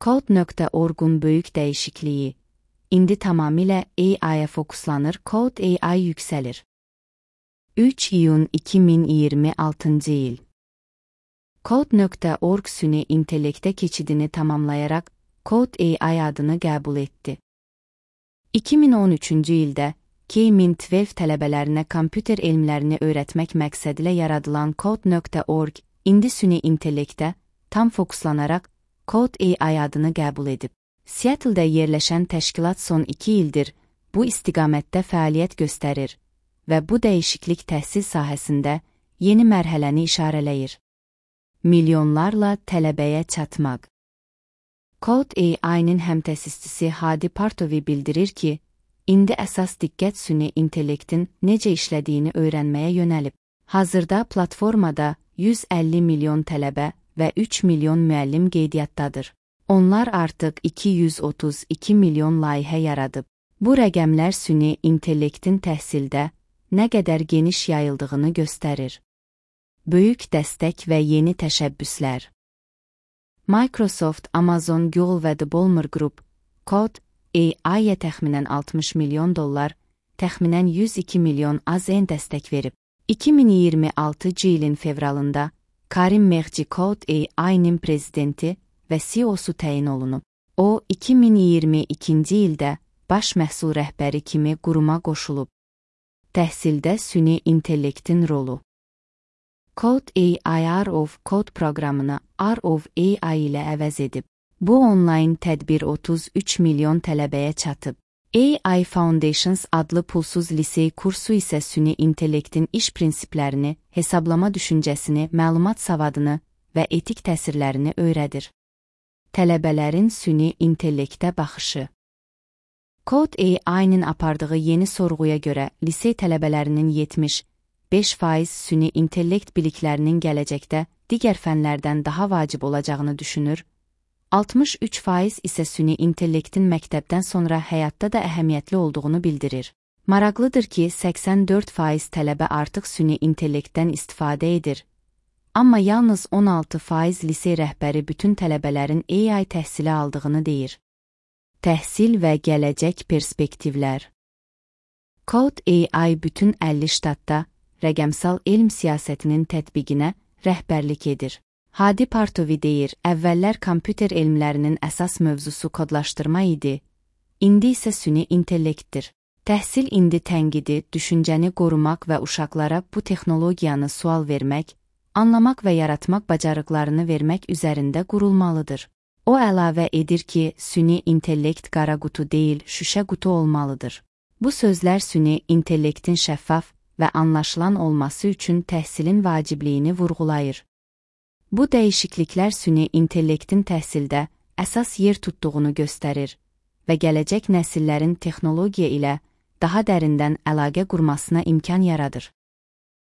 Code.org-un böyük dəyişikliyi. İndi tamamilə AI-ya fokuslanır, Code AI yüksəlir. 3 iyun 2026 il. Code.org süni intellektə keçidini tamamlayaraq Code AI adını qəbul etdi. 2013-cü ildə K-12 tələbələrinə kompüter elmlərini öyrətmək məqsədilə yaradılan Code.org indi süni intellektə tam fokuslanaraq Code AI adını qəbul edib. Seattle-də yerləşən təşkilat son 2 ildir bu istiqamətdə fəaliyyət göstərir və bu dəyişiklik təhsil sahəsində yeni mərhələni işarələyir. Milyonlarla tələbəyə çatmaq. Code AI-nin həmtəsisçisi Hadi Partovi bildirir ki, indi əsas diqqət süni intellektin necə işlədiyini öyrənməyə yönəlib. Hazırda platformada 150 milyon tələbə və 3 milyon müəllim qeydiyyatdadır. Onlar artıq 232 milyon layihə yaradıb. Bu rəqəmlər süni intellektin təhsildə nə qədər geniş yayıldığını göstərir. Böyük dəstək və yeni təşəbbüslər. Microsoft, Amazon, Google və The Ballmer Group, Code AI-yə təxminən 60 milyon dollar, təxminən 102 milyon AZN dəstək verib. 2026 ilin fevralında Karim Meghci Code AI-nin prezidenti və CEO-su təyin olunub. O, 2022-ci ildə baş məhsul rəhbəri kimi quruma qoşulub. Təhsildə süni intellektin rolu. Code AI R of Code proqramını R of AI ilə əvəz edib. Bu onlayn tədbir 33 milyon tələbəyə çatıb. AI Foundations adlı pulsuz lisey kursu isə süni intellektin iş prinsiplərini, hesablama düşüncəsini, məlumat savadını və etik təsirlərini öyrədir. Tələbələrin süni intellektə baxışı. Code AI-nin apardığı yeni sorğuya görə lisey tələbələrinin 75% süni intellekt biliklərinin gələcəkdə digər fənlərdən daha vacib olacağını düşünür, 63% isə süni intellektin məktəbdən sonra həyatda da əhəmiyyətli olduğunu bildirir. Maraqlıdır ki, 84% tələbə artıq süni intellektdən istifadə edir, amma yalnız 16% lisey rəhbəri bütün tələbələrin AI təhsili aldığını deyir. Təhsil və gələcək perspektivlər. Code AI bütün 50 ştatda rəqəmsal elm siyasətinin tətbiqinə rəhbərlik edir. Hadi Partovi deyir, əvvəllər kompüter elmlərinin əsas mövzusu kodlaşdırma idi, indi isə süni intellektdir. Təhsil indi tənqidi, düşüncəni qorumaq və uşaqlara bu texnologiyanı sual vermək, anlamaq və yaratmaq bacarıqlarını vermək üzərində qurulmalıdır. O əlavə edir ki, süni intellekt qara qutu deyil, şüşə qutu olmalıdır. Bu sözlər süni intellektin şəffaf və anlaşılan olması üçün təhsilin vacibliyini vurğulayır. Bu dəyişikliklər süni intellektin təhsildə əsas yer tutduğunu göstərir və gələcək nəsillərin texnologiya ilə daha dərindən əlaqə qurmasına imkan yaradır.